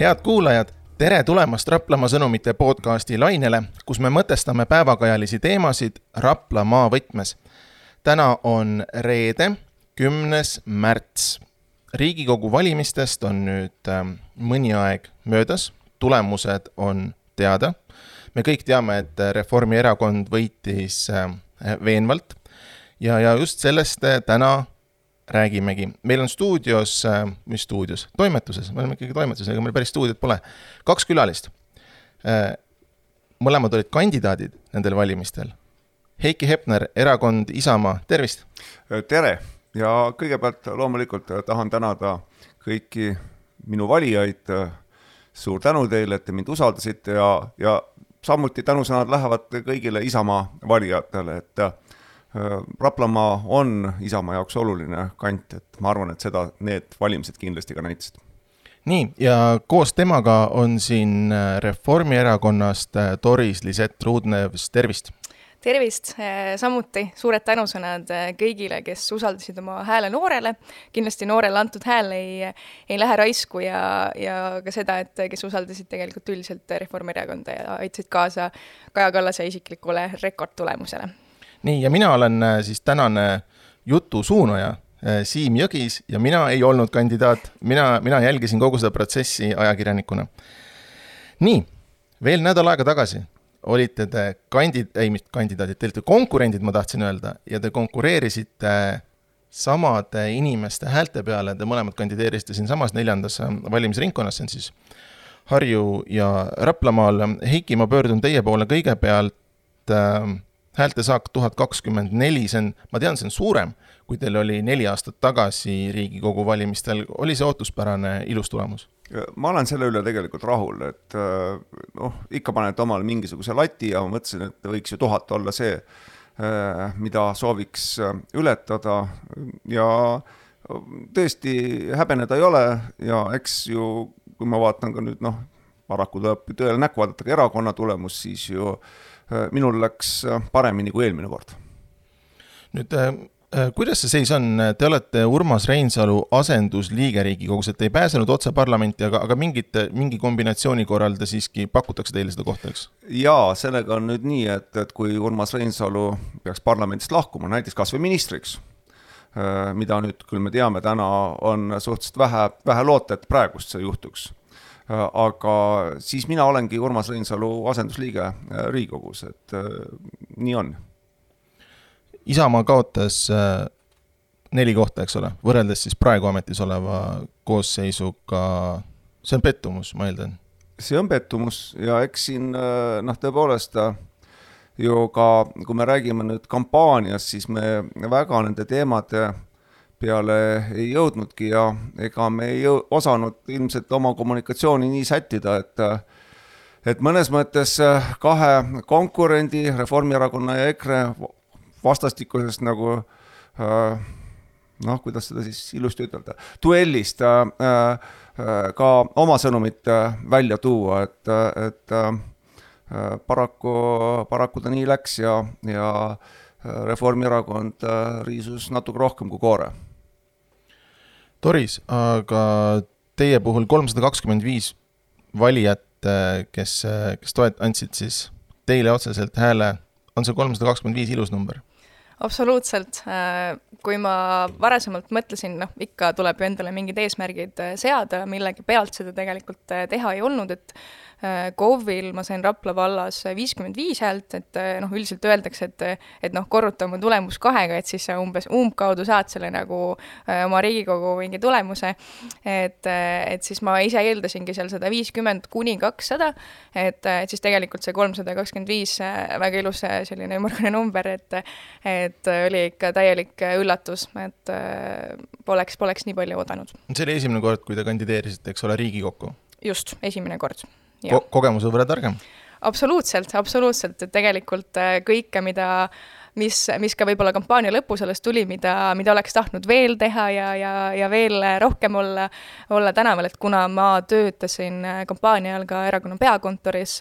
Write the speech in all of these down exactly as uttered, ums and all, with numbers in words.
Head kuulajad, tere tulemast Raplamaa sõnumite podcasti lainele, kus me mõtestame päevakajalisi teemasid Rapla maavõtmes. Täna on reede, kümnes märts. Riigikogu valimistest on nüüd mõni aeg möödas, tulemused on teada. Me kõik teame, et Reformierakond võitis veenvalt ja, ja just sellest täna räägimegi. Meil on stuudios, mis stuudios? Toimetuses, me oleme ikkagi toimetuses, ega meil päris stuudiot pole. Kaks külalist. Mõlemad olid kandidaadid nendel valimistel. Heiki Hepner, erakond Isamaa, tervist! Tere! Ja kõigepealt loomulikult tahan tänada kõiki minu valijaid. Suur tänu teile, et te mind usaldasite ja, ja samuti tänusõnad lähevad kõigile Isamaa valijatele, et Raplamaa on Isamaa jaoks oluline kant, et ma arvan, et seda need valimised kindlasti ka näitasid. Nii, ja koos temaga on siin Reformierakonnast Doris Lisett Ruudnevs, tervist! Tervist! Samuti suured tänusõnad kõigile, kes usaldasid oma hääle noorele. Kindlasti noorele antud hääl ei, ei lähe raisku ja, ja ka seda, et kes usaldasid tegelikult üldiselt Reformierakonda ja aitasid kaasa Kaja Kallase isiklikule rekordtulemusele. Nii, ja mina olen siis tänane jutu suunaja Siim Jõgis ja mina ei olnud kandidaat. Mina, mina jälgisin kogu seda protsessi ajakirjanikuna. Nii, veel nädal aega tagasi olite te kandid, ei, mitte kandidaadid, te olite konkurendid, ma tahtsin öelda, ja te konkureerisite samade inimeste häälte peale, te mõlemad kandideerisite siin samas neljandas valimisringkonnas, see on siis Harju ja Raplamaal. Heiki, ma pöördun teie poole kõigepealt äh, häälte saak tuhat kakskümmend neli, see on, ma tean, see on suurem, kui teil oli neli aastat tagasi Riigikogu valimistel. Oli see ootuspärane ilus tulemus? Ma olen selle üle tegelikult rahul, et noh, ikka paned omal mingisuguse lati ja ma mõtlesin, et võiks ju tuhat olla see, mida sooviks ületada ja tõesti häbeneda ei ole ja eks ju, kui ma vaatan ka nüüd, noh, paraku tuleb tõele näkku vaadata ka erakonna tulemus, siis ju minul läks paremini kui eelmine kord. Nüüd, kuidas see seis on? Te olete Urmas Reinsalu asendusliige Riigikogus, et te ei pääsenud otse parlamenti, aga, aga mingit, mingi kombinatsiooni korral te siiski pakutakse teile seda kohta, eks? Jaa, sellega on nüüd nii, et, et kui Urmas Reinsalu peaks parlamentist lahkuma, näiteks kas või ministriks, mida nüüd küll me teame, täna on suhteliselt vähe, vähe loota, et praegust see juhtuks. Aga siis mina olengi Urmas Reinsalu asendusliige Riigikogus, et nii on. Isamaa kaotas neli kohta, eks ole, võrreldes siis praegu ametis oleva koosseisuga. See on pettumus, ma eeldan. See on pettumus ja eks siin, noh, tõepoolest ju ka, kui me räägime nüüd kampaanias, siis me väga nende teemade peale ei jõudnudki ja ega me ei jõu, osanud ilmselt oma kommunikatsiooni nii sättida, et et mõnes mõttes kahe konkurendi, Reformierakonna ja EKRE vastastikusest nagu, noh, kuidas seda siis ilusti ütelda, duellist ka oma sõnumit välja tuua, et, et paraku, paraku ta nii läks ja, ja Reformierakond riisus natuke rohkem kui koore. Doris, aga teie puhul kolmsada kakskümmend viis valijat, kes, kes toet andsid siis teile otseselt hääle, on see kolmsada kakskümmend viis ilus number? Absoluutselt. Kui ma varasemalt mõtlesin, noh, ikka tuleb ju endale mingid eesmärgid seada, millegi pealt seda tegelikult teha ei olnud, et KOV-il ma sain Rapla vallas viiskümmend viis häält, et noh, üldiselt öeldakse, et, et noh, korruta oma tulemus kahega, et siis sa umbes umbkaudu saad selle nagu oma Riigikogu mingi tulemuse, et, et siis ma ise eeldasingi seal sada viiskümmend kuni kakssada, et, et siis tegelikult see kolmsada kakskümmend viis väga ilus selline ümmargune number, et, et oli ikka täielik üllatus, et poleks, poleks nii palju oodanud. See oli esimene kord, kui te kandideerisite, eks ole, Riigikokku? Just, esimene kord. Ko- kogemuse võrra targem? Absoluutselt, absoluutselt, et tegelikult kõike, mida, mis, mis ka võib-olla kampaania lõpus alles tuli, mida, mida oleks tahtnud veel teha ja, ja, ja veel rohkem olla, olla tänaval, et kuna ma töötasin kampaania ajal ka erakonna peakontoris,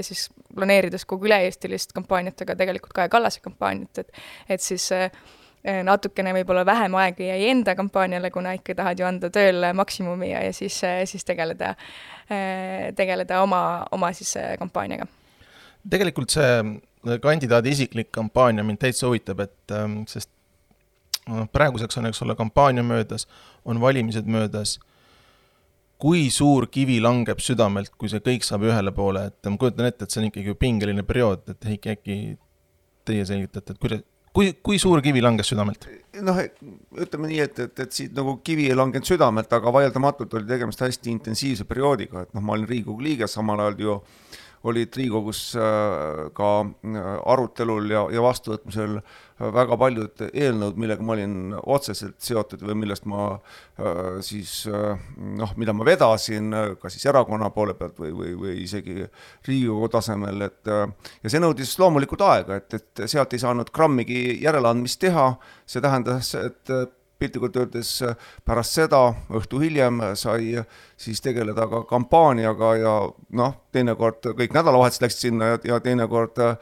siis planeerides kogu üle-eestilist kampaaniat, aga tegelikult Kaja Kallase kampaaniat, et, et siis natukene võib-olla vähem aega jäi enda kampaaniale, kuna ikka tahad ju anda tööle maksimumi ja, ja siis, siis tegeleda, tegeleda oma, oma siis kampaaniaga. Tegelikult see kandidaadi isiklik kampaania mind täitsa huvitab, et sest praeguseks on eks ole kampaania möödas, on valimised möödas. Kui suur kivi langeb südamelt, kui see kõik saab ühele poole, et ma kujutan ette, et see on ikkagi pingeline periood, et Heiki, äkki teie selgitate, et kuidas Kui, kui suur kivi langes südamelt? Noh, ütleme nii, et, et, et siit nagu kivi ei langenud südamelt, aga vaieldamatult oli tegemist hästi intensiivse perioodiga, et noh, ma olin Riigikogu liige, samal ajal ju olid Riigikogus ka arutelul ja, ja vastuvõtmisel väga paljud eelnõud, millega ma olin otseselt seotud või millest ma siis, noh, mida ma vedasin ka siis erakonna poole pealt või, või, või isegi Riigikogu tasemel, et ja see nõudis loomulikult aega, et, et sealt ei saanud grammigi järeleandmist teha, see tähendas, et piltlikult öeldes pärast seda õhtu hiljem sai siis tegeleda ka kampaaniaga ja noh, teinekord kõik nädalavahetused läksid sinna ja, ja teinekord äh,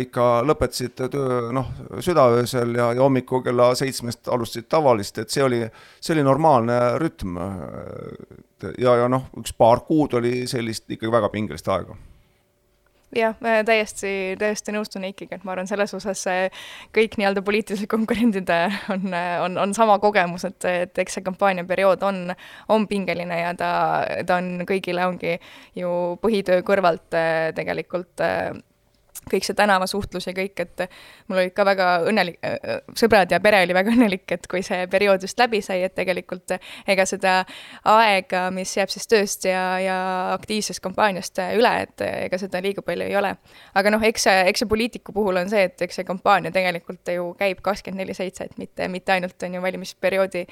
ikka lõpetasid töö noh, südaöösel ja, ja hommiku kella seitsmest alustasid tavalist, et see oli, see oli normaalne rütm ja, ja noh, üks paar kuud oli sellist ikkagi väga pingelist aega. Jah, täiesti, täiesti nõustun Eikiga, et ma arvan, selles osas kõik nii-öelda poliitilised konkurendid on, on, on sama kogemus, et, et eks see kampaaniaperiood on, on pingeline ja ta, ta on kõigile ongi ju põhitöö kõrvalt tegelikult kõik see tänavasuhtlus ja kõik, et mul olid ka väga õnnelik, sõbrad ja pere oli väga õnnelik, et kui see periood just läbi sai, et tegelikult ega seda aega, mis jääb siis tööst ja, ja aktiivsest kampaaniast üle, et ega seda liiga palju ei ole. Aga noh, eks see, eks see poliitiku puhul on see, et eks see kampaania tegelikult ju käib kakskümmend neli seitse, et mitte, mitte ainult on ju valimisperioodi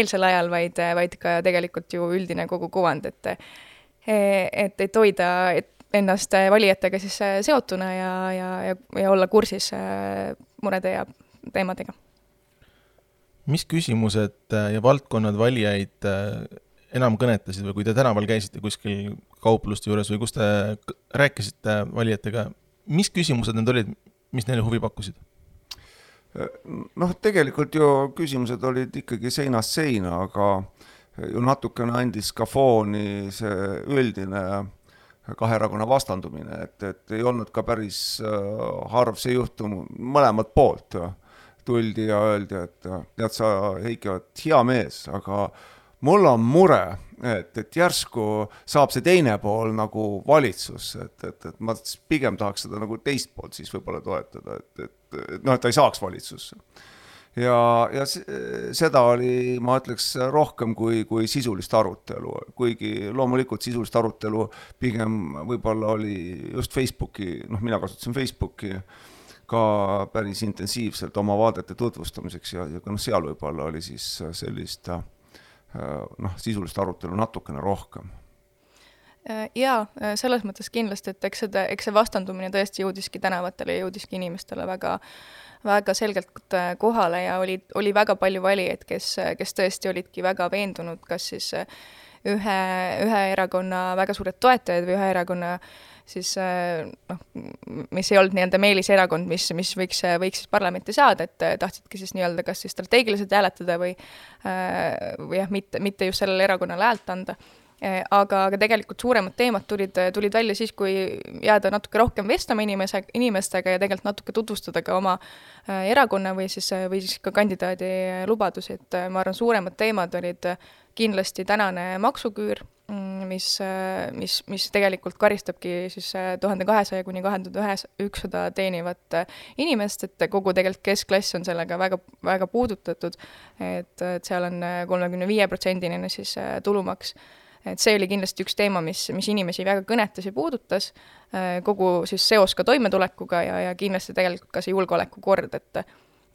eelsel ajal, vaid, vaid ka tegelikult ju üldine kogu kuvand, et, et, et hoida, et ennast valijatega siis seotuna ja, ja, ja, ja olla kursis murede ja teemadega. Mis küsimused ja valdkonnad valijaid enam kõnetasid või kui te tänaval käisite kuskil kaupluste juures või kus te rääkisite valijatega, mis küsimused need olid, mis neile huvi pakkusid? Noh, tegelikult ju küsimused olid ikkagi seinast seina, aga ju natukene andis ka fooni see üldine kahe erakonna vastandumine, et, et ei olnud ka päris harv see juhtum mõlemad poolt. Tuldi ja öeldi, et tead sa, Heiki, oled hea mees, aga mul on mure, et, et järsku saab see teine pool nagu valitsus, et, et, et ma pigem tahaks seda nagu teist poolt siis võib-olla toetada, et, et, et noh, et ta ei saaks valitsusse. Ja, ja seda oli, ma ütleks, rohkem kui, kui sisulist arutelu, kuigi loomulikult sisulist arutelu pigem võib-olla oli just Facebooki, noh, mina kasutasin Facebooki ka päris intensiivselt oma vaadete tutvustamiseks ja, ja noh, seal võib-olla oli siis sellist noh, sisulist arutelu natukene rohkem. Jaa, selles mõttes kindlasti, et eks, seda, eks see vastandumine tõesti jõudiski tänavatele ja jõudiski inimestele väga väga selgelt kohale ja oli, oli väga palju valijaid, kes, kes tõesti olidki väga veendunud, kas siis ühe, ühe erakonna väga suured toetajad või ühe erakonna siis, noh, mis ei olnud nii-öelda meeliserakond, mis, mis võiks, võiks siis parlamenti saada, et tahtsidki siis nii-öelda kas siis strateegiliselt hääletada või, või jah, mitte, mitte just sellele erakonnale häält anda. Aga, aga tegelikult suuremad teemad tulid, tulid välja siis, kui jääda natuke rohkem vestlema inimese, inimestega ja tegelikult natuke tutvustada ka oma erakonna või siis, või siis ka kandidaadi lubadusi, et ma arvan, suuremad teemad olid kindlasti tänane maksuküür, mis, mis, mis tegelikult karistabki siis tuhande kahesaja kuni tuhande ükssada teenivat inimest, et kogu tegelikult keskklass on sellega väga, väga puudutatud, et, et seal on kolmekümne viie protsendine siis tulumaks. Et see oli kindlasti üks teema, mis, mis inimesi väga kõnetas ja puudutas, kogu siis seos ka toimetulekuga ja, ja kindlasti tegelikult ka see julgeolekukord, et,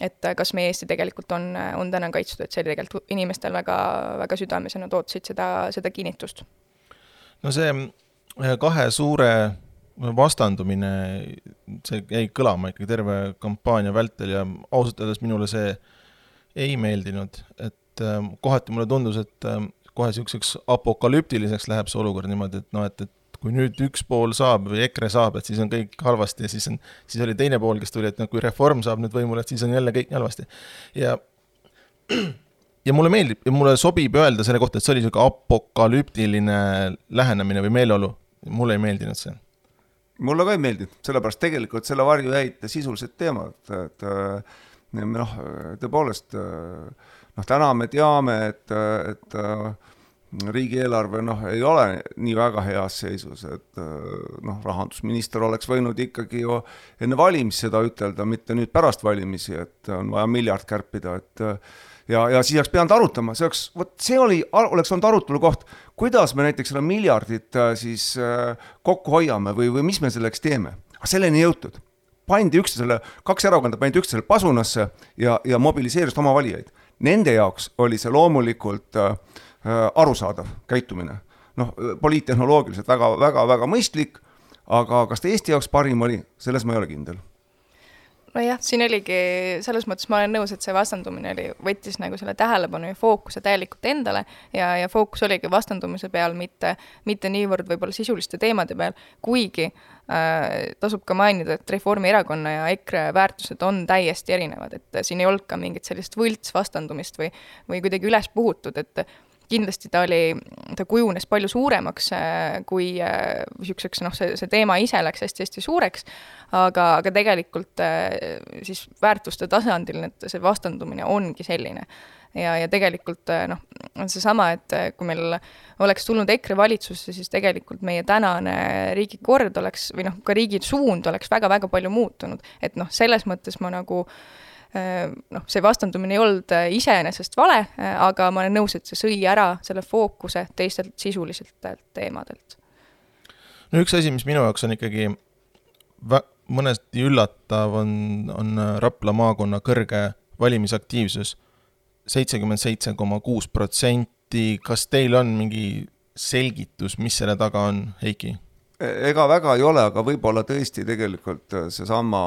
et kas meie Eesti tegelikult on, on täna kaitstud, et see oli tegelikult inimestel väga, väga südames ja nad ootasid seda, seda kinnitust. No see kahe suure vastandumine, see jäi kõlama ikkagi terve kampaania vältel ja ausalt öeldes minule see ei meeldinud, et kohati mulle tundus, et kohe siukseks apokalüptiliseks läheb see olukord niimoodi, et, no, et, et kui nüüd üks pool saab või EKRE saab, et siis on kõik halvasti ja siis, on, siis oli teine pool, kes tuli, et no, kui Reform saab nüüd võimule, et siis on jälle kõik halvasti. Ja, ja mulle meeldib ja mulle sobib öelda selle kohta, et see oli selline apokalüptiline lähenemine või meeleolu. Mulle ei meeldinud see. Mulle ka ei meeldinud, sellepärast tegelikult selle varju jäid sisulised teemad, et noh, tõepoolest, noh, täna me teame, et, et riigieelarve noh, ei ole nii väga heas seisus, et noh, rahandusminister oleks võinud ikkagi ju enne valimisi seda ütelda, mitte nüüd pärast valimisi, et on vaja miljard kärpida, et ja, ja siis oleks pidanud arutama, see, oleks, võt, see oli, oleks olnud arutelu koht, kuidas me näiteks selle miljardit siis kokku hoiame või, või mis me selleks teeme. Aga selleni jõutud. Pandi üksteisele, kaks erakonda pandi üksteisele pasunasse ja, ja mobiliseerist oma valijaid. Nende jaoks oli see loomulikult äh, arusaadav käitumine. Noh, poliittehnoloogiliselt väga, väga, väga mõistlik, aga kas ta Eesti jaoks parim oli, selles ma ei ole kindel. No jah, siin oligi, selles mõttes ma olen nõus, et see vastandumine oli, võttis nagu selle tähelepanu ja fookuse täielikult endale ja, ja fookus oligi vastandumise peal, mitte, mitte niivõrd võib-olla sisuliste teemade peal, kuigi äh, tasub ka mainida, et Reformierakonna ja EKRE väärtused on täiesti erinevad, et siin ei olnud ka mingit sellist võlts vastandumist või, või kuidagi üles puhutud, et kindlasti ta oli, ta kujunes palju suuremaks kui niisuguseks, noh, see, see teema ise läks hästi-hästi suureks, aga, aga tegelikult siis väärtuste tasandil need, see vastandumine ongi selline. Ja, ja tegelikult noh, on see sama, et kui meil oleks tulnud EKRE valitsusse, siis tegelikult meie tänane riigikord oleks, või noh, ka riigi suund oleks väga-väga palju muutunud. Et noh, selles mõttes ma nagu noh, see vastandumine ei olnud iseenesest vale, aga ma olen nõus, et see sõi ära selle fookuse teistelt sisuliselt teemadelt. No üks asi, mis minu jaoks on ikkagi vä- mõnesti üllatav, on, on Rapla maakonna kõrge valimisaktiivsus seitsekümmend seitse koma kuus protsenti. Kas teil on mingi selgitus, mis selle taga on, Heiki? Ega väga ei ole, aga võib-olla tõesti tegelikult see sama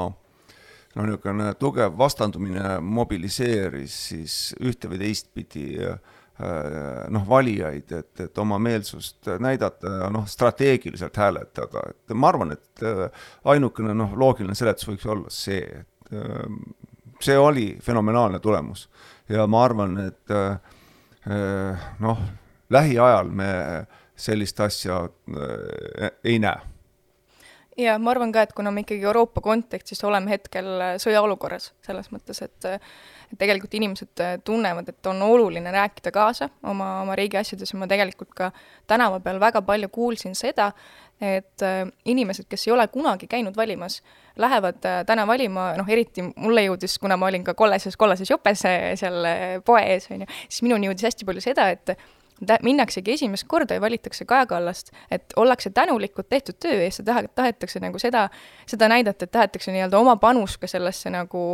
no niisugune tugev vastandumine mobiliseeris siis ühte või teist pidi noh, valijaid, et, et oma meelsust näidata ja noh, strateegiliselt hääletada. Et ma arvan, et ainukene noh, loogiline seletus võiks olla see, et see oli fenomenaalne tulemus. Ja ma arvan, et noh, lähiajal me sellist asja ei näe. Ja ma arvan ka, et kuna me ikkagi Euroopa kontekstis oleme hetkel sõjaolukorras selles mõttes, et, et tegelikult inimesed tunnevad, et on oluline rääkida kaasa oma, oma riigi asjades ja ma tegelikult ka tänava peal väga palju kuulsin seda, et inimesed, kes ei ole kunagi käinud valimas, lähevad täna valima, noh eriti mulle jõudis, kuna ma olin ka kollases, kollases jopes seal poe ees, siis minuni jõudis hästi palju seda, et minnaksegi esimest korda ja valitakse Kaja Kallast, et ollakse tänulikud tehtud töö eest ja tahetakse nagu seda, seda näidata, et tahetakse nii-öelda oma panus ka sellesse nagu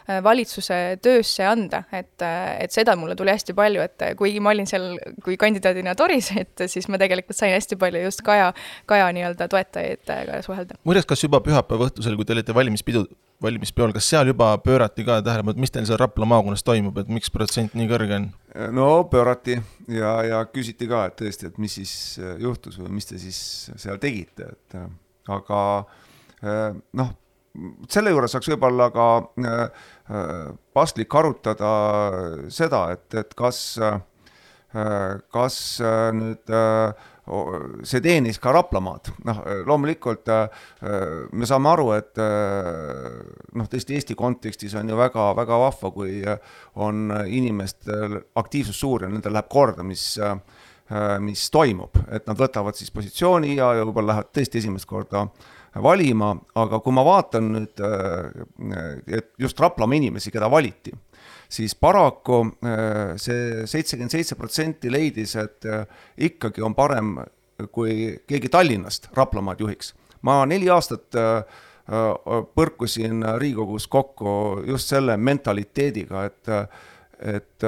valitsuse töösse anda, et, et seda mulle tuli hästi palju, et kuigi ma olin seal kui kandidaadina Toris, et siis ma tegelikult sain hästi palju just Kaja, Kaja nii-öelda toetajaid ka suhelda. Muides, kas juba pühapäeva õhtusel, kui te olite valimispidu, valimispeol, kas seal juba pöörati ka tähelepanu, et mis teil seal Rapla maakonnas toimub, et miks protsent nii kõrge on? No pöörati ja, ja küsiti ka, et tõesti, et mis siis juhtus või mis te siis seal tegite, et aga noh, selle juures saaks võib-olla ka paslik arutada seda, et, et kas, kas nüüd see teenis ka Raplamaad. Noh, loomulikult me saame aru, et noh, tõesti Eesti kontekstis on ju väga, väga vahva, kui on inimestel aktiivsus suur ja nendel läheb korda, mis, mis toimub, et nad võtavad siis positsiooni ja, ja võib-olla lähevad tõesti esimest korda valima, aga kui ma vaatan nüüd, et just Raplamaa inimesi, keda valiti, siis paraku see seitsekümmend seitse protsenti leidis, et ikkagi on parem, kui keegi Tallinnast Raplamaad juhiks. Ma neli aastat põrkusin Riigikogus kokku just selle mentaliteediga, et, et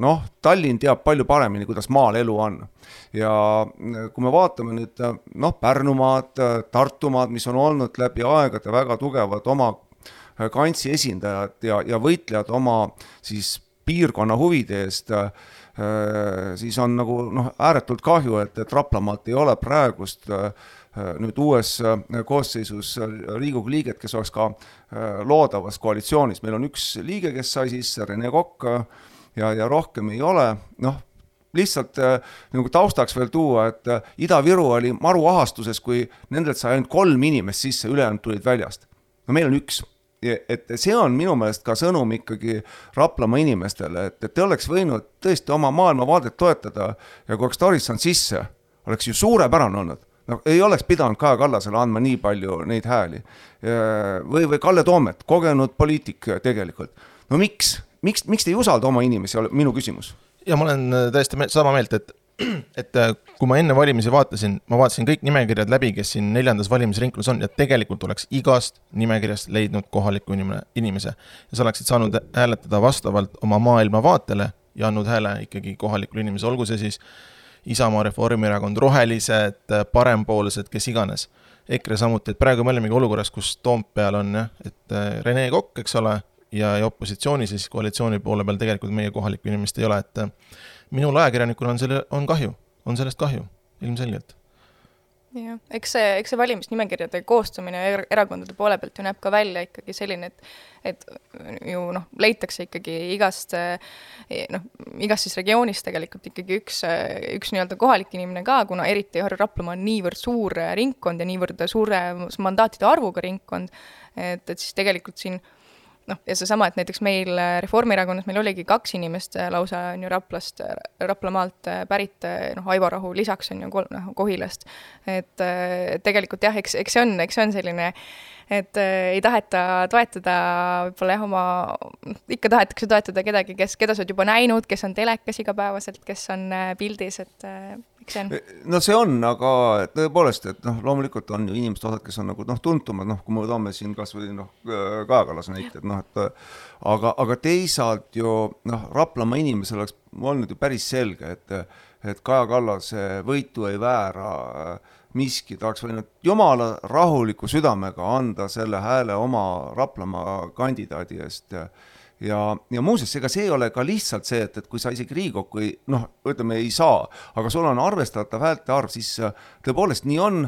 noh, Tallinn teab palju paremini, kuidas maal elu on. Ja kui me vaatame nüüd noh, Pärnumaad, Tartumaad, mis on olnud läbi aegade väga tugevad oma kantsi esindajad ja, ja võitlejad oma siis piirkonna huvide eest, siis on nagu noh, ääretult kahju, et, et Raplamaalt ei ole praegust nüüd uues koosseisus Riigikogu liiget, kes oleks ka loodavas koalitsioonis. Meil on üks liige, kes sai sisse, Rene Kokk, ja, ja rohkem ei ole. Noh, lihtsalt nagu taustaks veel tuua, et Ida-Viru oli maruahastuses, kui nendelt sai ainult kolm inimest sisse, ülejäänud tulid väljast. No meil on üks. Et see on minu meelest ka sõnum ikkagi Raplamaa inimestele, et, et te oleks võinud tõesti oma maailmavaadet toetada ja kui oleks Torisson sisse, oleks ju suurepärane olnud. No, ei oleks pidanud Kaja Kallasele andma nii palju neid hääli. Või, või Kalle Toomet, kogenud poliitik tegelikult. No miks? Miks, miks te ei usalda oma inimesi, minu küsimus? Ja ma olen täiesti sama meelt, et et kui ma enne valimisi vaatasin, ma vaatasin kõik nimekirjad läbi, kes siin neljandas valimisringkonnas on ja tegelikult oleks igast nimekirjast leidnud kohaliku inimese ja sa oleksid saanud hääletada vastavalt oma maailmavaatele ja andnud hääle ikkagi kohalikul inimese, olgu see siis Isamaa, Reformierakond, rohelised, parempoolsed, kes iganes. EKRE samuti, et praegu me olemegi olukorras, kus Toompeal on, et Rene Kokk, eks ole, ja, ja opositsiooni siis koalitsiooni poole peal tegelikult meie kohalikku inimest ei ole, et minul ajakirjanikul on, selle, on kahju, on sellest kahju, ilmselgelt. Ja, eks see, eks see valimisnimekirjade koostamine erakondade poole pealt ju näeb ka välja ikkagi selline, et, et ju noh, leitakse ikkagi igast, noh, igast siis regioonist tegelikult ikkagi üks, üks nii-öelda kohalik inimene ka, kuna eriti Raplamaa on niivõrd suur ringkond ja niivõrd suure mandaatide arvuga ringkond, et, et siis tegelikult siin noh, ja see sama, et näiteks meil Reformierakonnas meil oligi kaks inimest lausa on ju Raplast, Raplamaalt pärit, noh, Aivo Rahu lisaks on ju kol, noh, Kohilast. Et tegelikult jah, eks, eks see on, eks see on selline, et ei taheta toetada võib-olla jah, oma, ikka tahetakse toetada kedagi, kes, keda sa oled juba näinud, kes on telekas igapäevaselt, kes on pildis, et eks see on. No see on, aga tõepoolest, et noh, loomulikult on ju inimesed osad, kes on nagu noh, tuntumad, noh, kui me toome siin kas või noh, Kaja Kallas näited, noh, et aga, aga teisalt ju noh, Raplamaa inimesel oleks olnud ju päris selge, et, et Kaja Kallase võitu ei väära miski, ta oleks võinud jumala rahuliku südamega anda selle hääle oma Raplamaa kandidaadi eest ja Ja, ja muuseas, ega see ei ole ka lihtsalt see, et, et kui sa isegi Riigikokku ei, noh, ütleme, ei saa, aga sul on arvestatav häälte arv, siis tõepoolest nii on,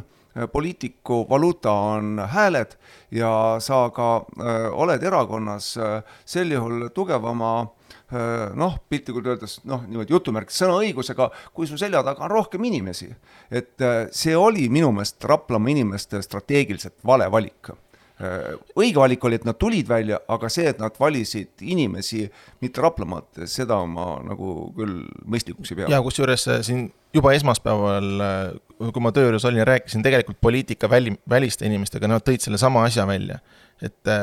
poliitiku valuuta on hääled ja sa ka äh, oled erakonnas äh, sel juhul tugevama äh, noh, piltlikult öeldes, noh, niimoodi jutumärk sõnaõigusega, kui su selja taga on rohkem inimesi. Et äh, see oli minu meelest Raplamaa inimeste strateegiliselt vale valik. Õige valik oli, et nad tulid välja, aga see, et nad valisid inimesi, mitte Raplamaalt, seda ma nagu küll mõistlikuks ei pea. Ja kus juures siin juba esmaspäeval, kui ma tööjuures olin ja rääkisin tegelikult poliitika väli, väliste inimestega, nad tõid selle sama asja välja, et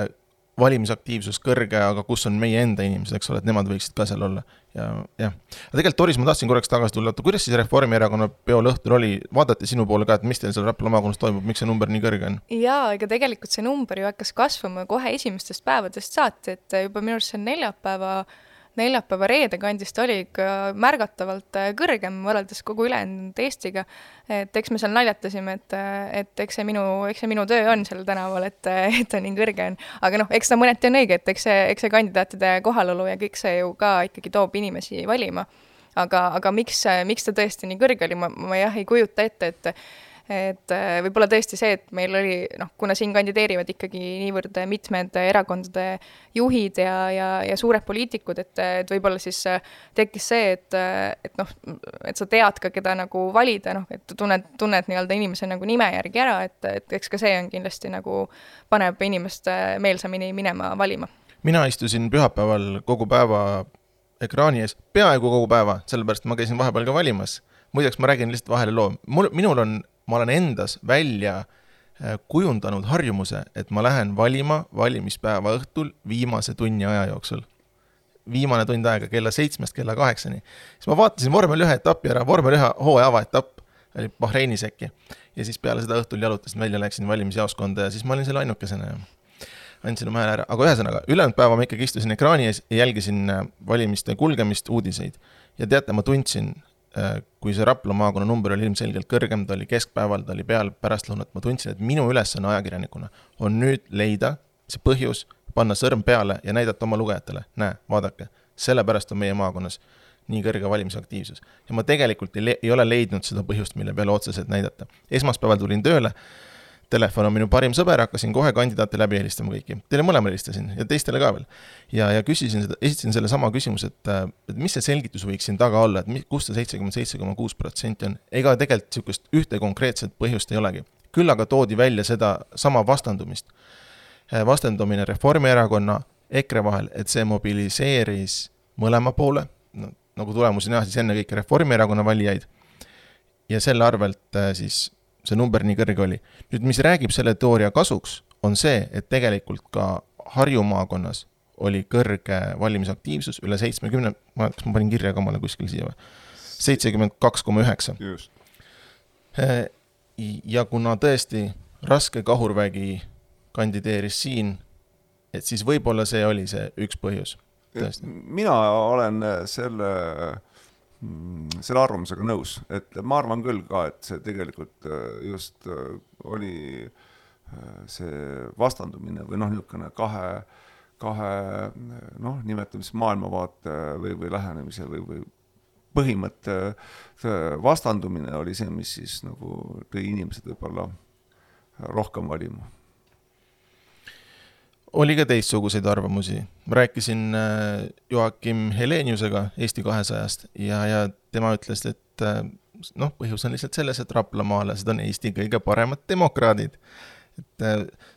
valimisaktiivsus kõrge, aga kus on meie enda inimesed, eks ole, et nemad võiksid ka seal olla. Ja, jah. Aga tegelikult, Toris, ma tahtsin korraks tagasi tulla, kuidas siis Reformierakonna peol õhtul oli, vaadati sinu poole ka, et mis teil seal Raplamaa maakonnas toimub, miks see number nii kõrge on? Jaa, ega tegelikult see number ju hakkas kasvama kohe esimestest päevadest saati, et juba minu arust see neljapäeva neljapäeva reede kandist oli ikka märgatavalt kõrgem võrreldes kogu ülejäänud Eestiga. Et eks me seal naljatasime, et, et eks, see minu, eks see minu töö on seal tänaval, et, et on nii kõrge on. Aga noh, eks ta mõneti on õige, et eks see, eks see kandidaatide kohalolu ja kõik see ju ka ikkagi toob inimesi valima. Aga, aga miks, miks ta tõesti nii kõrge oli, ma, ma jah ei kujuta ette, et et võib-olla tõesti see, et meil oli, noh, kuna siin kandideerivad ikkagi niivõrd mitmed erakondade juhid ja, ja, ja suured poliitikud, et, et võib-olla siis tekkis see, et, et noh, et sa tead ka, keda nagu valida, noh, et tunned, tunned nii-öelda inimese nagu nime järgi ära, et, et eks ka see on kindlasti nagu paneb inimest meelsamini minema valima. Mina istusin pühapäeval kogu päeva ekraani ees, peaaegu kogu päeva, sellepärast ma käisin vahepeal ka valimas. Muideks ma räägin lihtsalt vahele loo. Mul, minul on ma olen endas välja kujundanud harjumuse, et ma lähen valima valimispäeva õhtul viimase tunni aja jooksul. Viimane tund aega kella seitsmest kella kaheksani. Siis ma vaatasin vormel ühe etapi ära, vormel ühe hooaja avaetapp, oli Bahreinis äkki. Ja siis peale seda õhtul jalutasin välja, läksin valimisjaoskonda ja siis ma olin selle ainukesena ja andsin oma hääle ära. Aga ühesõnaga, ülejäänud päeva ma ikkagi istusin ekraani ees ja jälgisin valimiste kulgemist, uudiseid. Ja teate, ma tundsin, kui see Rapla maakonna number oli ilmselgelt kõrgem, ta oli keskpäeval, ta oli peal pärastlõunat, ma tundsin, et minu ülesanne ajakirjanikuna on nüüd leida see põhjus, panna sõrm peale ja näidata oma lugejatele. Näe, vaadake, sellepärast on meie maakonnas nii kõrge valimisaktiivsus. Ja ma tegelikult ei, le- ei ole leidnud seda põhjust, mille peale otseselt näidata. Esmaspäeval tulin tööle, telefon on minu parim sõber, hakkasin kohe kandidaate läbi helistama kõiki. Teile mõlemale helistasin ja teistele ka veel. Ja, ja küsisin seda, esitasin selle sama küsimus, et, et mis see selgitus võiks siin taga olla, et kus see seitsekümmend seitse koma kuus protsenti on. Ega tegelikult sihukest ühte konkreetset põhjust ei olegi. Küll aga toodi välja seda sama vastandumist. Vastandumine Reformierakonna, EKRE vahel, et see mobiliseeris mõlema poole, no, nagu tulemusi näha, siis enne kõiki Reformierakonna valijaid. Ja selle arvelt siis see number nii kõrge oli. Nüüd, mis räägib selle teooria kasuks, on see, et tegelikult ka Harju maakonnas oli kõrge valimisaktiivsus, üle seitsmekümne, ma, kas ma panin kirja ka mulle kuskil siia või? seitsekümmend kaks koma üheksa. Just. Ja kuna tõesti raske kahurvägi kandideeris siin, et siis võib-olla see oli see üks põhjus. Tõesti. Mina olen selle, selle arvamusega nõus, et ma arvan küll ka, et see tegelikult just oli see vastandumine või noh, niisugune kahe, kahe noh, nimetamis maailmavaate või, või lähenemise või, või põhimõtte vastandumine oli see, mis siis nagu tõi inimesed võib-olla rohkem valima. Oli ka teistsuguseid arvamusi. Ma rääkisin Joakim Heleniusega Eesti kahesajast ja, ja tema ütles, et noh, põhjus on lihtsalt selles, et Raplamaalased on Eesti kõige paremad demokraadid. Et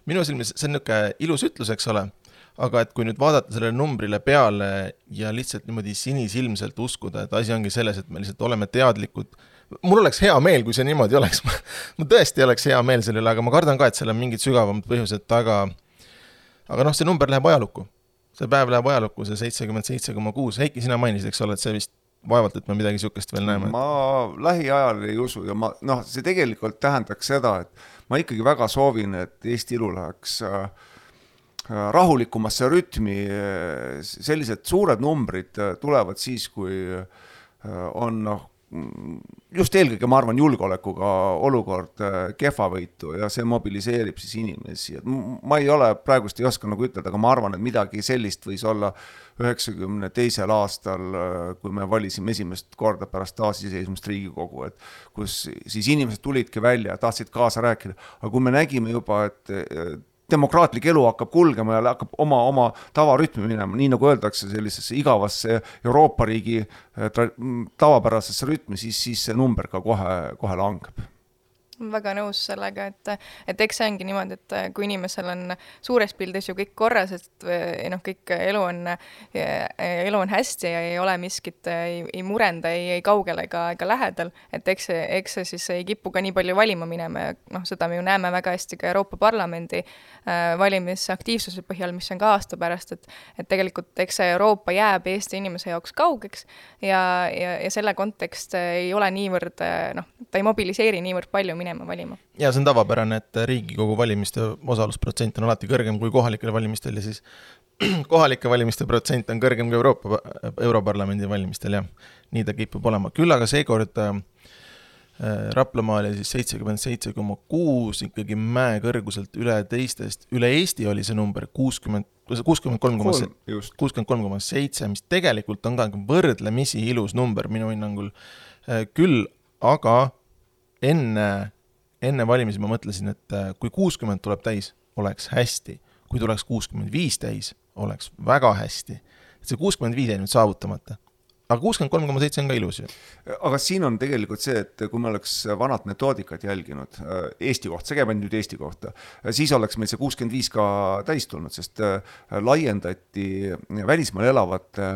minu silmis see on niisugune ilus ütlus, eks ole, aga et kui nüüd vaadata sellele numbrile peale ja lihtsalt niimoodi sinisilmselt uskuda, et asi ongi selles, et me lihtsalt oleme teadlikud. Mul oleks hea meel, kui see niimoodi oleks. Ma tõesti oleks hea meel selle üle, aga ma kardan ka, et seal on mingid sügavamad põhjused taga. Aga noh, see number läheb ajalukku. See päev läheb ajalukku, see seitsekümmend seitse koma kuus. Heiki, sina mainisid, eks ole, et see vist vaevalt, et me midagi sihukest veel näeme. Ma lähiajal ei usu ja ma, noh, see tegelikult tähendaks seda, et ma ikkagi väga soovin, et Eesti ilu läheks rahulikumasse rütmi. Sellised suured numbrid tulevad siis, kui on noh, just eelkõige, ma arvan, julgeolekuga olukord kehvavõitu ja see mobiliseerib siis inimesi. Ma ei ole praegust ei oska nagu ütelda, aga ma arvan, et midagi sellist võis olla üheksakümne teisel aastal, kui me valisime esimest korda pärast taasiseseisvumist Riigikogu, et kus siis inimesed tulidki välja ja tahtsid kaasa rääkida. Aga kui me nägime juba, et demokraatlik elu hakkab kulgema ja hakkab oma, oma tavarütmi minema, nii nagu öeldakse sellisesse igavasse Euroopa riigi tavapärasesse rütmi, siis, siis see number ka kohe, kohe langeb. Väga nõus sellega, et, et eks see ongi niimoodi, et kui inimesel on suures pildis ju kõik korras, et noh, kõik elu on, elu on hästi ja ei ole miskit, ei, ei murenda, ei, ei kaugel ega, ega lähedal, et eks see, eks see siis ei kipu ka nii palju valima minema ja noh, seda me ju näeme väga hästi ka Euroopa Parlamendi äh, valimisaktiivsuse põhjal, mis on ka aasta pärast, et, et tegelikult eks see Euroopa jääb Eesti inimese jaoks kaugeks ja, ja, ja selle kontekst ei ole niivõrd, noh, ta ei mobiliseeri niivõrd palju minema valima. Ja see on tavapärane, et Riigikogu valimiste osalusprotsent on alati kõrgem kui kohalikel valimistel ja siis kohalike valimiste protsent on kõrgem kui Euroopa, Europarlamendi valimistel ja nii ta kipub olema. Küll aga seekord äh, Raplamaal oli siis seitsekümmend seitse koma kuus ikkagi mäe kõrguselt üle teistest. Üle Eesti oli see number kuuskümmend kolm koma seitse, mis tegelikult on ka võrdlemisi ilus number minu hinnangul. Äh, küll aga enne Enne valimisi ma mõtlesin, et kui kuuskümmend tuleb täis, oleks hästi. Kui tuleks kuuskümmend viis täis, oleks väga hästi. Et see kuuskümmend viis ei nüüd saavutamata. Aga kuuskümmend kolm koma seitse on ka ilus. Aga siin on tegelikult see, et kui me oleks vanad metoodikat jälginud Eesti kohta, see käib nüüd Eesti kohta, siis oleks meil see kuuskümmend viis ka täis tulnud, sest laiendati välismaal elavate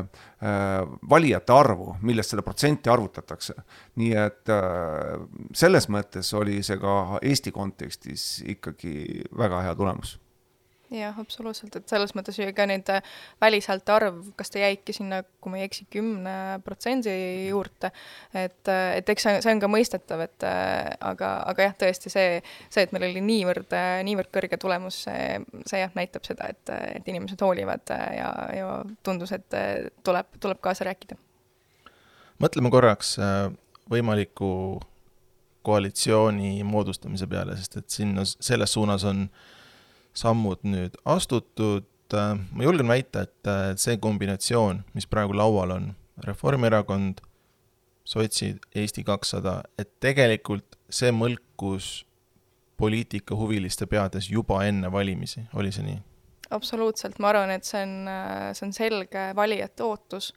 valijate arvu, millest selle protsenti arvutatakse. Nii et selles mõttes oli see ka Eesti kontekstis ikkagi väga hea tulemus. Jah, absoluutselt, et selles mõttes ju ka neid välishäälte arv, kas ta jäiki sinna, kui ma ei eksi, kümne protsendi juurde, et, et eks see on ka mõistetav, et aga, aga jah, tõesti see, see, et meil oli niivõrd, niivõrd kõrge tulemus, see, see jah, näitab seda, et, et inimesed hoolivad ja, ja tundus, et tuleb, tuleb kaasa rääkida. Mõtleme korraks võimaliku koalitsiooni moodustamise peale, sest et sinna selles suunas on sammud nüüd astutud tegelikult ma julgen väita, et see kombinatsioon, mis praegu laual on, Reformierakond, sotsid, Eesti kakssada, et tegelikult see mõlkus poliitika huviliste peades juba enne valimisi, oli see nii? Absoluutselt, ma arvan, et see on, see on selge valijate ootus.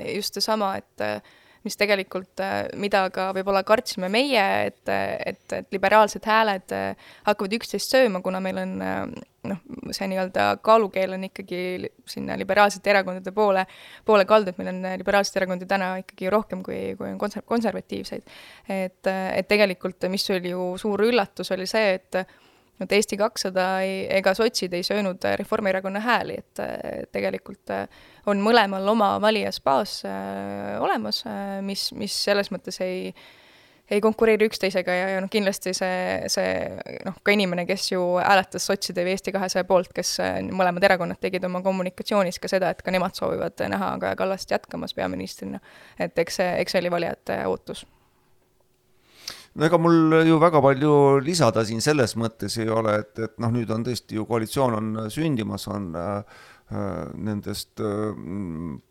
Just see sama, et mis tegelikult, mida ka võib-olla kartsime meie, et, et, et liberaalsed hääled hakkavad üksteist sööma, kuna meil on noh, see nii-öelda kaalukeel on ikkagi sinna liberaalsete erakondade poole, poole kaldu, et meil on liberaalsed erakondi täna ikkagi rohkem kui, kui on konser- konservatiivseid. Et, et tegelikult, mis oli ju suur üllatus, oli see, et et Eesti kakssada ei, ega sotsid ei söönud Reformierakonna hääli, et tegelikult on mõlemal oma valijas baas olemas, mis, mis selles mõttes ei, ei konkureeri üksteisega ja, ja noh, kindlasti see, see noh, ka inimene, kes ju hääletas sotside või Eesti kahesaja poolt, kes mõlemad erakonnad tegid oma kommunikatsioonis ka seda, et ka nemad soovivad näha Kaja Kallast jätkamas peaministrina, et eks see, eks see oli valijate ootus. No ega mul ju väga palju lisada siin selles mõttes ei ole, et, et noh, nüüd on tõesti ju koalitsioon on sündimas, on äh, nendest äh,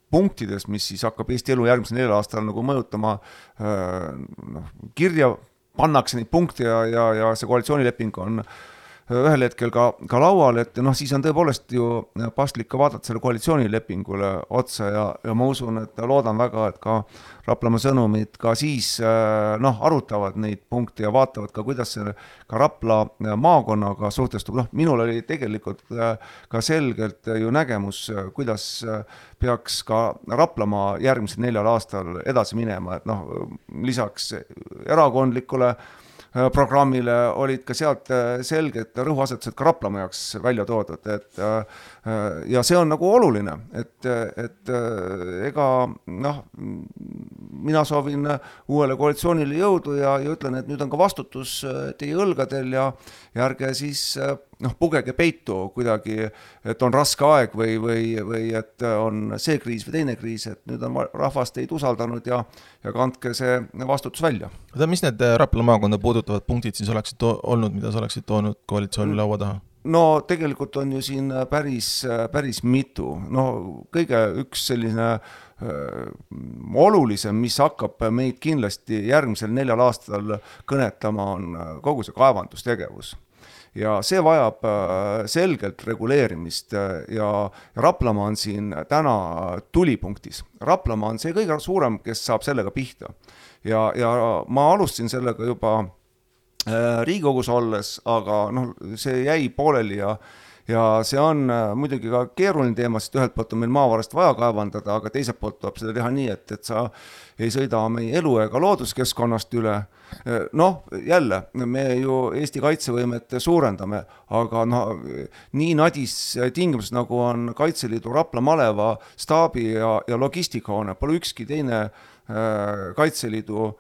punktidest, mis siis hakkab Eesti elu järgmisel neljal aastal nagu mõjutama, äh, noh, kirja pannakse neid punkte ja, ja, ja see koalitsioonileping on ühel hetkel ka, ka laual, et noh, siis on tõepoolest ju paslik ka vaadata selle koalitsioonilepingule otsa ja, ja ma usun, et loodan väga, et ka Raplamaa sõnumid ka siis noh, arutavad neid punkte ja vaatavad ka, kuidas see ka Rapla maakonnaga suhtestub. Noh, minul oli tegelikult ka selgelt ju nägemus, kuidas peaks ka Raplamaa järgmisel neljal aastal edasi minema, et noh, lisaks erakondlikule programmile olid ka sealt selged rõhuasetused ka Raplamaa jaoks välja toodud, et ja see on nagu oluline, et, et ega noh, mina soovin uuele koalitsioonile jõudu ja, ja ütlen, et nüüd on ka vastutus teie õlgadel ja, ja ärge siis noh, pugege peitu kuidagi, et on raske aeg või, või, või et on see kriis või teine kriis, et nüüd on rahvas teid usaldanud ja, ja kandke see vastutus välja. Mis need Rapla maakonda puudutavad punktid siis oleksid to- olnud, mida sa oleksid toonud koalitsiooni laua taha? No tegelikult on ju siin päris, päris mitu. No kõige üks selline äh, olulisem, mis hakkab meid kindlasti järgmisel neljal aastal kõnetama, on kogu see kaevandustegevus. Ja see vajab selgelt reguleerimist ja Raplamaa on siin täna tulipunktis. Raplamaa on see kõige suurem, kes saab sellega pihta. Ja, ja ma alustasin sellega juba Riigikogus olles, aga noh, see jäi pooleli ja, ja see on muidugi ka keeruline teema, sest ühelt poolt on meil maavarast vaja kaevandada, aga teiselt poolt tuleb seda teha nii, et, et sa ei sõida meie elu ega looduskeskkonnast üle. Noh, jälle, me ju Eesti kaitsevõimet suurendame, aga no, nii nadis tingimused, nagu on Kaitseliidu Rapla maleva staabi ja, ja logistikahoone, pole ükski teine äh, Kaitseliidu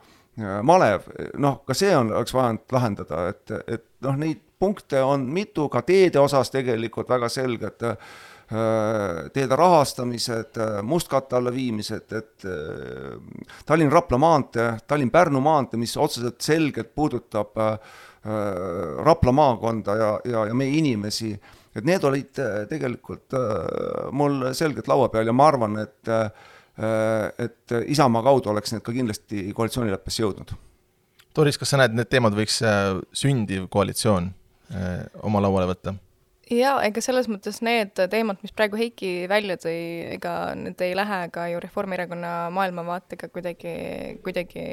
malev, noh, ka see on, oleks vajanud lahendada, et, et noh, neid punkte on mitu, ka teede osas tegelikult väga selged teede rahastamised, mustkatte alla viimised, et Tallinn-Rapla maantee, Tallinn-Pärnu maantee, mis otseselt selgelt puudutab Rapla maakonda ja, ja, ja meie inimesi, et need olid tegelikult mul selgelt laua peal ja ma arvan, et et Isamaa kaudu oleks need ka kindlasti koalitsioonileppesse jõudnud. Doris, kas sa näed, need teemad võiks sündiv koalitsioon oma lauale võtta? Jaa, ega selles mõttes need teemad, mis praegu Heiki välja tõi, ega need ei lähe ka ju Reformierakonna maailmavaatega kuidagi, kuidagi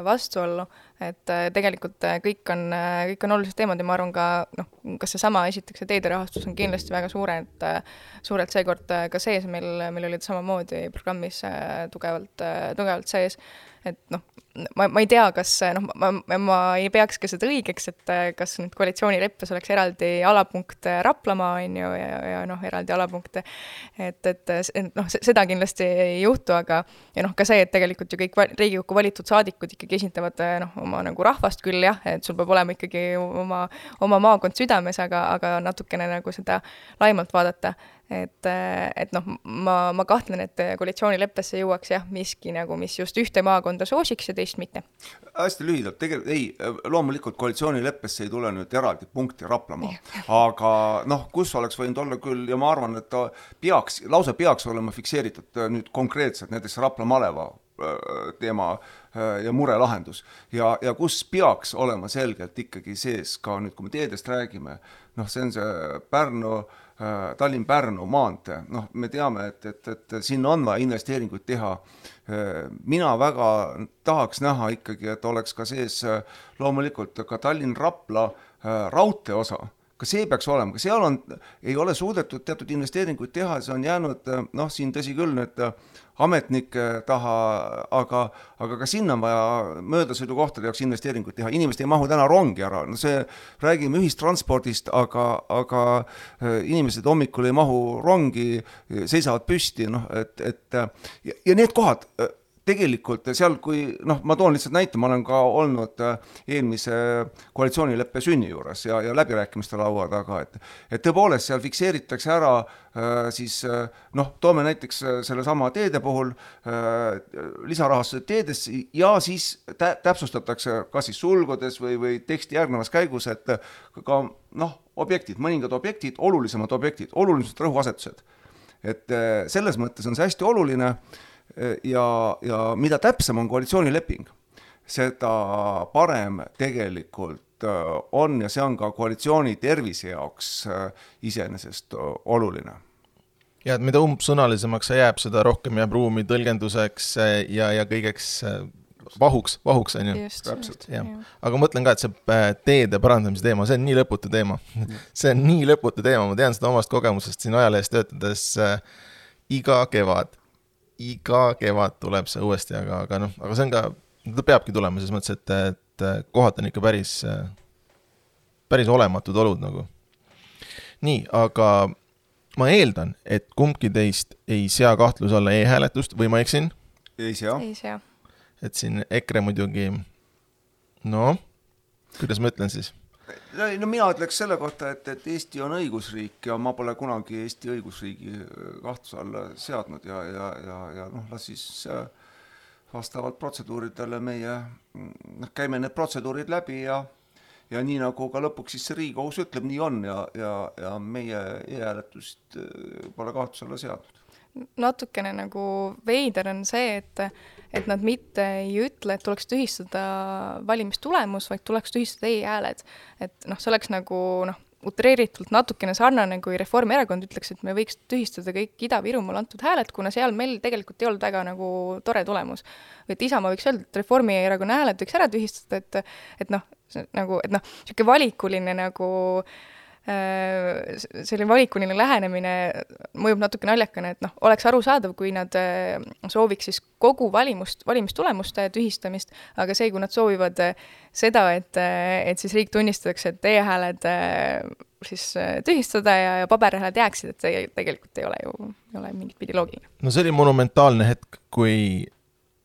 vastuollu, et tegelikult kõik on, kõik on olulised teemad ja ma arvan ka, noh, kas see sama esiteks ja teede rahastus on kindlasti väga suured, suurelt seekord ka sees, meil, meil olid samamoodi programmis tugevalt, tugevalt sees, et noh, ma, ma ei tea, kas noh, ma, ma ei peaks ka seda õigeks, et kas nüüd koalitsioonileppes oleks eraldi alapunkt Raplamaa on ju ja, ja noh, eraldi alapunkt, et, et noh, seda kindlasti ei juhtu, aga ja noh, ka see, et tegelikult ju kõik Riigikokku valitud saadikud ikkagi esindavad noh, oma nagu rahvast küll jah, et sul peab olema ikkagi oma, oma maakond südames, aga, aga natukene nagu seda laimalt vaadata, et, et noh, ma, ma kahtlen, et koalitsioonileppesse jõuaks jah, miski nagu, mis just ühte maakonda soosiks ja teist mitte. Hästi lühidalt, tegelikult ei, loomulikult koalitsioonileppesse ei tule nüüd eraldi punkti Raplamaa, aga noh, kus oleks võinud olla küll ja ma arvan, et ta peaks, lausa peaks olema fikseeritud nüüd konkreetselt näiteks Rapla maleva teema ja mure lahendus ja, ja kus peaks olema selgelt ikkagi sees ka nüüd, kui me teedest räägime, noh, see on see Pärnu Tallinn-Pärnu maantee, noh, me teame, et, et, et sinna on vaja investeeringuid teha. Mina väga tahaks näha ikkagi, et oleks ka sees loomulikult ka Tallinn-Rapla raudtee osa. Ka see peaks olema, ka seal on, ei ole suudetud teatud investeeringuid teha, see on jäänud, noh, siin tõsi küll nüüd ametnike taha, aga, aga ka sinna on vaja möödasõidukohtade jaoks investeeringuid teha. Inimesed ei mahu täna rongi ära. No see, räägime ühistranspordist, aga, aga inimesed hommikul ei mahu rongi, seisavad püsti, noh, et, et ja, ja need kohad tegelikult seal, kui, noh, ma toon lihtsalt näite, ma olen ka olnud eelmise koalitsioonileppe sünni juures ja, ja läbirääkimiste laua taga, et, et tõepoolest seal fikseeritakse ära siis, noh, toome näiteks selle sama teede puhul lisarahastused teedes ja siis tä- täpsustatakse kas siis sulgudes või, või teksti järgnevas käigus, et ka, noh, objektid, mõningad objektid, olulisemad objektid, olulisemad rõhuasetused. Et selles mõttes on see hästi oluline ja, ja mida täpsem on koalitsioonileping, seda parem tegelikult on ja see on ka koalitsiooni tervise jaoks iseenesest oluline. Ja et mida umbsõnalisemaks see jääb, seda rohkem jääb ruumi tõlgenduseks ja, ja kõigeks vahuks, vahuks on ju. Just, just, ja. Aga mõtlen ka, et see teede parandamise teema, see on nii lõputu teema. See on nii lõputu teema, ma tean seda omast kogemusest siin ajalehes töötades iga kevad. Iga kevad tuleb see uuesti, aga, aga, noh, aga see on ka, ta peabki tulema selles mõttes, et, et kohad on ikka päris, päris olematud olud nagu. Nii, aga ma eeldan, et kumbki teist ei sea kahtluse alla e-hääletust või ma eksin? Ei sea. Ei sea. Et siin EKRE muidugi, no, kuidas ma ütlen siis? No, no mina ütleks selle kohta, et, et Eesti on õigusriik ja ma pole kunagi Eesti õigusriigi kahtluse alla seadnud ja, ja, ja, ja noh, las siis vastavalt protseduuridele meie, noh, käime need protseduurid läbi ja, ja nii nagu ka lõpuks siis see Riigikohus ütleb, nii on ja, ja, ja meie e-hääletust pole kahtluse alla seadnud. Natukene nagu veider on see, et, et nad mitte ei ütle, et tuleks tühistada valimistulemus, vaid tuleks tühistada e-hääled. Et noh, see oleks nagu noh, utreeritult natukene sarnane, kui Reformierakond ütleks, et me võiks tühistada kõik Ida-Virumaal antud hääled, kuna seal meil tegelikult ei olnud väga nagu tore tulemus. Või et Isamaa võiks öelda, et Reformierakonna hääled võiks ära tühistada, et, et noh, nagu, et noh, siuke valikuline nagu selline valikuline lähenemine mõjub natuke naljakane, et noh, oleks arusaadav, kui nad sooviks siis kogu valimust, valimistulemuste tühistamist, aga see, kui nad soovivad seda, et, et siis riik tunnistatakse, et e-hääled siis tühistada ja, ja paberhääled jääksid, et see tegelikult ei ole ju ei ole mingit pidi loogiline. No see oli monumentaalne hetk, kui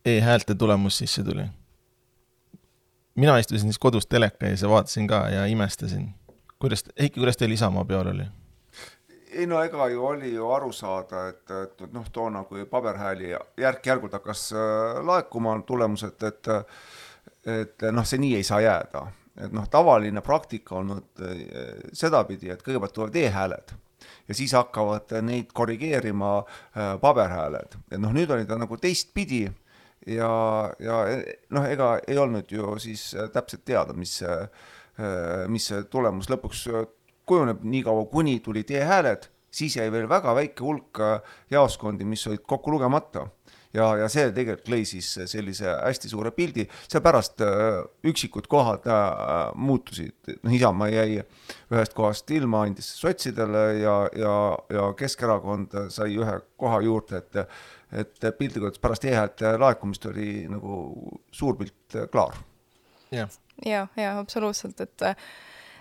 e-häälte tulemus sisse tuli. Mina istusin siis kodus teleka ja vaatasin ka ja imestasin. Kuidas, Heiki, kuidas teil Isamaa peal oli? Ei no ega ju oli ju aru saada, et, et noh, toona kui paberhääli järk-järgult hakkas laekuma tulemused, et, et noh, see nii ei saa jääda. Et noh, tavaline praktika on nüüd sedapidi, et kõigepealt tulevad e-hääled ja siis hakkavad neid korrigeerima paberhääled. Et noh, nüüd oli ta nagu teistpidi ja, ja noh, ega ei olnud ju siis täpselt teada, mis see mis see tulemus lõpuks kujuneb nii kaua, kuni tuli e-hääled, siis jäi veel väga väike hulk jaoskondi, mis olid kokku lugemata. Ja, ja see tegelikult lõi siis sellise hästi suure pildi, seepärast üksikud kohad muutusid. Isamaa jäi ühest kohast ilma, andis sotsidele ja, ja, ja Keskerakond sai ühe koha juurde, et, et pildikult pärast e-häälte laekumist oli nagu suur pilt klaar. Jah. Ja, ja absoluutselt, et,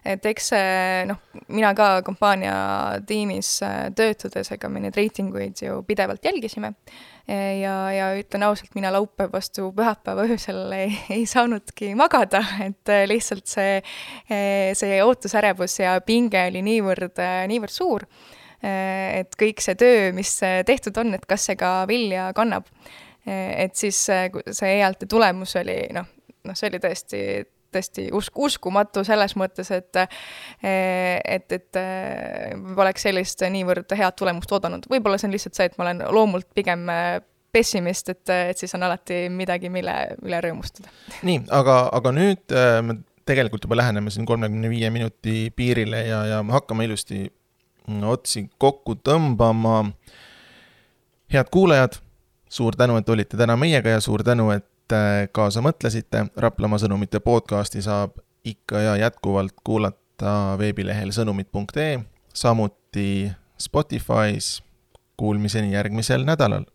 et eks see, noh, mina ka kampaania tiimis töötades, ega me neid reitinguid ju pidevalt jälgisime ja, ja ütlen ausalt, mina laupäev vastu pühapäeva öösel ei, ei saanudki magada, et lihtsalt see, see ootusärevus ja pinge oli niivõrd, niivõrd suur. et kõik see töö, mis tehtud on, et kas see ka vilja kannab. Et siis see E L T tulemus oli, noh, noh, see oli tõesti, tõesti usk, uskumatu selles mõttes, et, et, et poleks sellist niivõrd head tulemust oodanud. Võib-olla see on lihtsalt see, et ma olen loomult pigem pessimist, et, et siis on alati midagi, mille, mille rõõmustada. Nii, aga, aga nüüd me tegelikult juba läheneme siin kolmekümne viie minuti piirile ja, ja hakkame ilusti otsi kokku tõmbama. Head kuulajad, suur tänu, et olite täna meiega ja suur tänu, et kaasa mõtlesite. Raplamaa sõnumite podcasti saab ikka ja jätkuvalt kuulata veebilehel sõnumid punkt ee, samuti Spotify's. Kuulmiseni järgmisel nädalal.